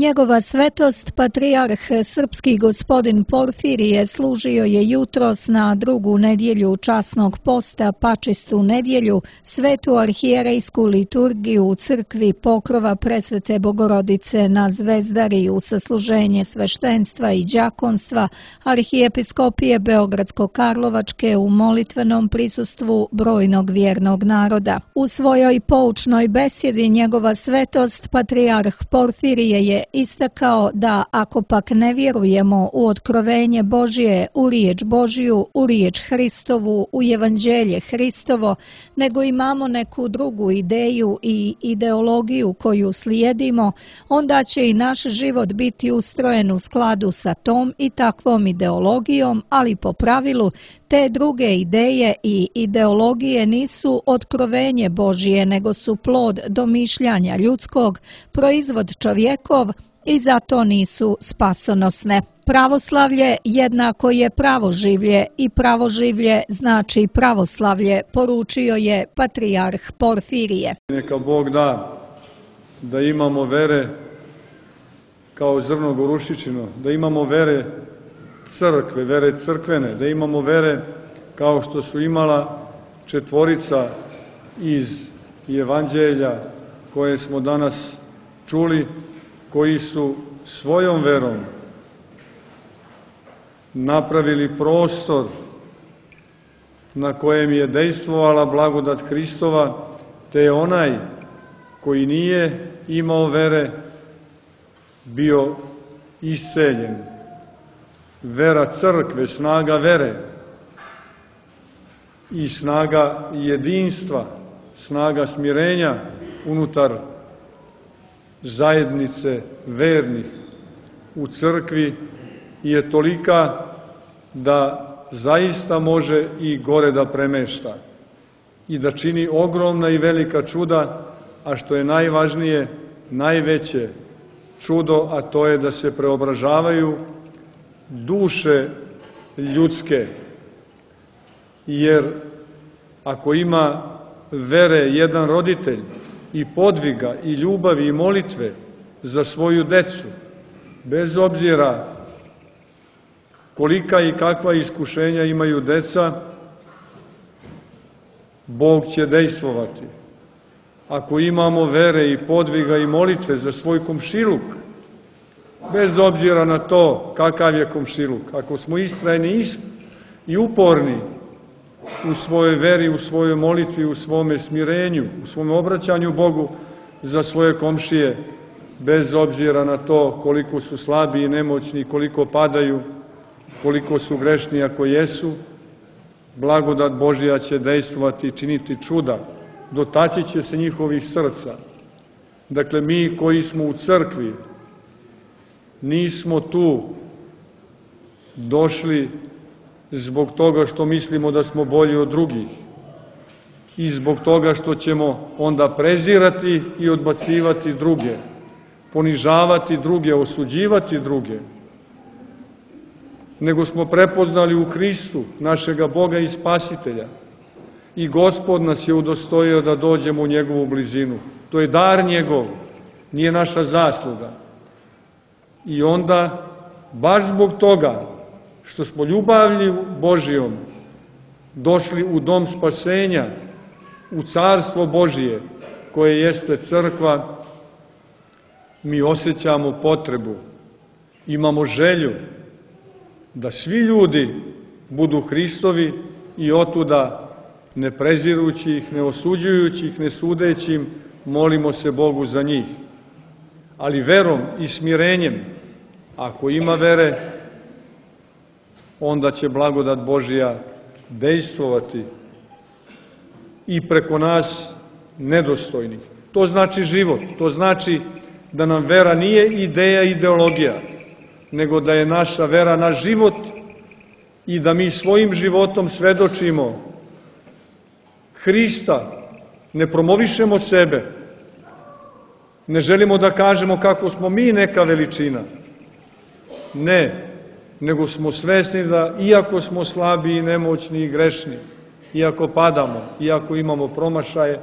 Njegova svetost, patrijarh srpski gospodin Porfirije, služio je jutros na drugu nedjelju časnog posta, pačistu nedjelju, svetu arhijerejsku liturgiju u crkvi Pokrova Presvete Bogorodice na Zvezdari u sasluženje sveštenstva i đakonstva Arhijepiskopije Beogradsko-Karlovačke u molitvenom prisustvu brojnog vjernog naroda. U svojoj poučnoj besjedi njegova svetost, patrijarh Porfirije je istakao da ako pak ne vjerujemo u otkrovenje Božje, u riječ Božju, u riječ Hristovu, u evanđelje Hristovo, nego imamo neku drugu ideju i ideologiju koju slijedimo, onda će i naš život biti ustrojen u skladu sa tom i takvom ideologijom, ali po pravilu te druge ideje i ideologije nisu otkrovenje Božje, nego su plod domišljanja ljudskog, proizvod čovjekov i zato nisu spasonosne. Pravoslavlje jednako je pravoživlje i pravoživlje znači pravoslavlje, poručio je patrijarh Porfirije. Neka Bog da imamo vere kao zrno gorušičino, da imamo vere crkve, vere crkvene, da imamo vere kao što su imala četvorica iz evanđelja koje smo danas čuli, koji su svojom verom napravili prostor na kojem je dejstvovala blagodat Hristova, te je onaj koji nije imao vere bio isceljen. Vera crkve, snaga vere i snaga jedinstva, snaga smirenja unutar zajednice vernih u crkvi je tolika da zaista može i gore da premešta i da čini ogromna i velika čuda, a što je najvažnije, najveće čudo, a to je da se preobražavaju duše ljudske. Jer ako ima vere jedan roditelj i podviga i ljubavi i molitve za svoju decu, bez obzira kolika i kakva iskušenja imaju deca, Bog će dejstvovati. Ako imamo vere i podviga i molitve za svoj komšiluk, bez obzira na to kakav je komšiluk, ako smo istrajni i uporni u svojoj veri, u svojoj molitvi, u svome smirenju, u svom obraćanju Bogu za svoje komšije, bez obzira na to koliko su slabi i nemoćni, koliko padaju, koliko su grešni ako jesu, blagodat Božja će dejstvovati i činiti čuda, dotaći će se njihovih srca. Dakle, mi koji smo u crkvi, nismo tu došli zbog toga što mislimo da smo bolji od drugih i zbog toga što ćemo onda prezirati i odbacivati druge, ponižavati druge, osuđivati druge, nego smo prepoznali u Hristu našega Boga i Spasitelja i Gospod nas je udostojio da dođemo u njegovu blizinu. To je dar njegov, nije naša zasluga. I onda, baš zbog toga što smo ljubavlju Božijom došli u dom spasenja, u carstvo Božije, koje jeste crkva, mi osjećamo potrebu, imamo želju da svi ljudi budu Hristovi i otuda, ne prezirući ih, ne osuđujući ih, ne sudeći im, molimo se Bogu za njih. Ali verom i smirenjem, ako ima vere, onda će blagodat Božja dejstvovati i preko nas nedostojnih. To znači život, to znači da nam vera nije ideja, ideologija, nego da je naša vera naš život i da mi svojim životom svedočimo Hrista, ne promovišemo sebe, ne želimo da kažemo kako smo mi neka veličina, ne, nego smo svesni da, iako smo slabi i nemoćni i grešni, iako padamo, iako imamo promašaje,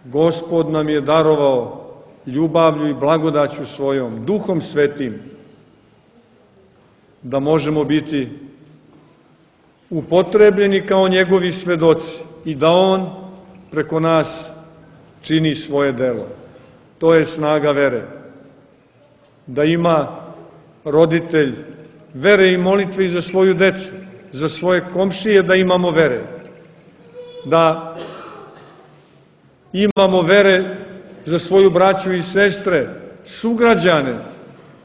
Gospod nam je darovao ljubavlju i blagodaću svojom, Duhom Svetim, da možemo biti upotrebljeni kao njegovi svedoci i da on preko nas čini svoje delo. To je snaga vere. Da ima roditelj vere i molitve i za svoju decu, za svoje komšije, da imamo vere. Da imamo vere za svoju braću i sestre, sugrađane,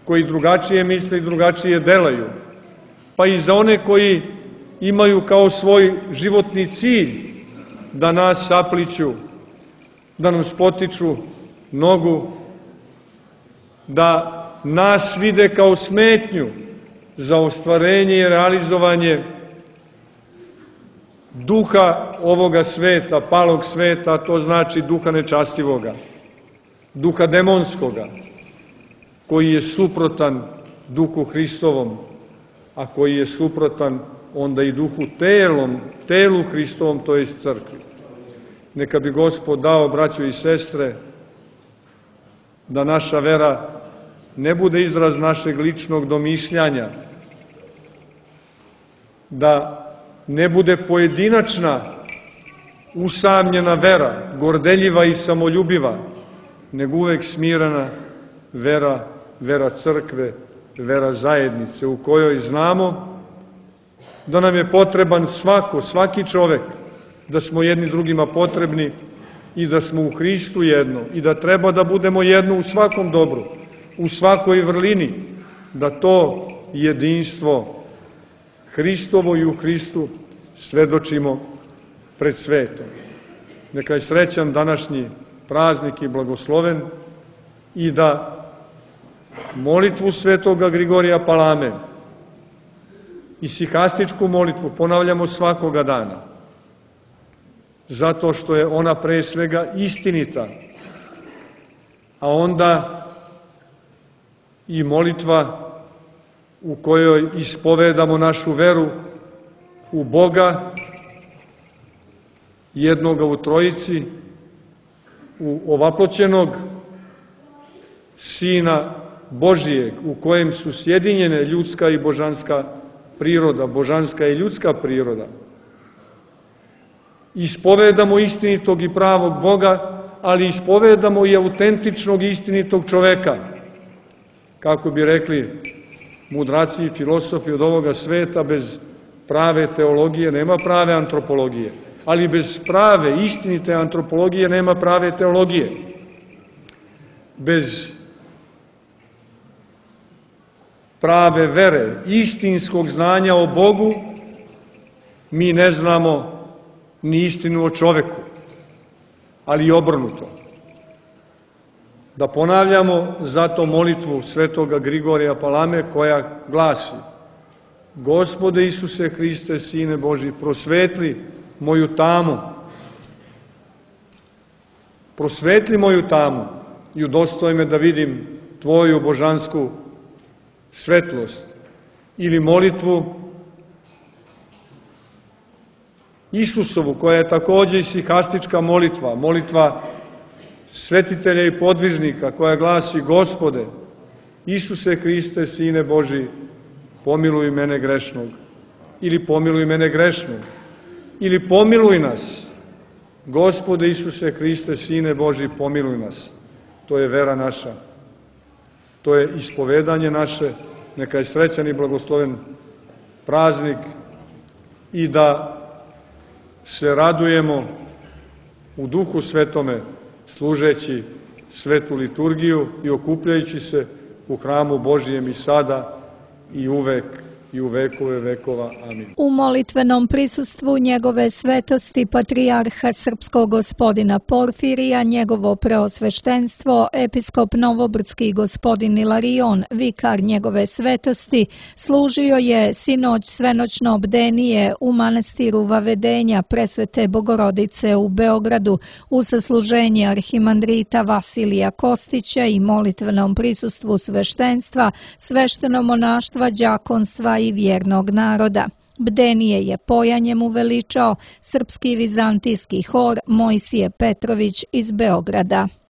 koji drugačije misle i drugačije delaju, pa i za one koji imaju kao svoj životni cilj da nas sapliću, da nam spotiču nogu, da nas vide kao smetnju za ostvarenje i realizovanje duha ovoga sveta, palog sveta, a to znači duha nečastivoga, duha demonskoga, koji je suprotan duhu Hristovom, a koji je suprotan onda i duhu telu Hristovom, to je crkvi. Neka bi Gospod dao, braćo i sestre, da naša vera ne bude izraz našeg ličnog domišljanja, da ne bude pojedinačna, usamljena vera, gordeljiva i samoljubiva, nego uvek smirana vera crkve, vera zajednice, u kojoj znamo da nam je potreban svaki čovek, da smo jedni drugima potrebni i da smo u Hristu jedno i da treba da budemo jedno u svakom dobru, u svakoj vrlini, da to jedinstvo Hristovo i u Hristu svedočimo pred svetom. Neka je srećan današnji praznik i blagosloven i da molitvu svetoga Grigorija Palame i sihastičku molitvu ponavljamo svakoga dana, zato što je ona pre svega istinita, a onda i molitva u kojoj ispovedamo našu veru u Boga, jednoga u Trojici, u ovaploćenog Sina Božijeg, u kojem su sjedinjene ljudska i božanska priroda, božanska i ljudska priroda. Ispovedamo istinitog i pravog Boga, ali ispovedamo i autentičnog i istinitog čoveka. Kako bi rekli mudraci i filosofi od ovoga sveta, bez prave teologije nema prave antropologije, ali bez prave, istinite antropologije nema prave teologije. Bez prave vere, istinskog znanja o Bogu, mi ne znamo ni istinu o čoveku, ali i obrnuto. Da ponavljamo zato molitvu svetoga Grigorija Palame koja glasi: Gospode Isuse Hriste, Sine Božji, prosvetli moju tamu, prosvetli moju tamu i udostoj me da vidim Tvoju božansku svetlost. Ili molitvu Isusovu, koja je takođe i sihastička molitva, molitva svetitelja i podvižnika, koja glasi: Gospode, Isuse Hriste, Sine Božji, pomiluj mene grešnog, ili pomiluj mene grešnog, ili pomiluj nas, Gospode Isuse Hriste, Sine Božji, pomiluj nas. To je vera naša, to je ispovedanje naše. Neka je srećan i blagosloven praznik i da se radujemo u Duhu Svetome, služeći svetu liturgiju i okupljajući se u hramu Božijem i sada i uvek i u vekove vekova. Amin. U molitvenom prisustvu njegove svetosti patrijarha srpskog gospodina Porfirija, njegovo preosveštenstvo, episkop Novobrdski gospodin Ilarion, vikar njegove svetosti, služio je sinoć svenoćno bdenije u manastiru Vavedenja Presvete Bogorodice u Beogradu u sasluženje arhimandrita Vasilija Kostića i molitvenom prisustvu sveštenstva, svešteno monaštva, đakonstva i vjernog naroda. Bdenije je pojanjem uveličao srpski vizantijski hor Mojsije Petrović iz Beograda.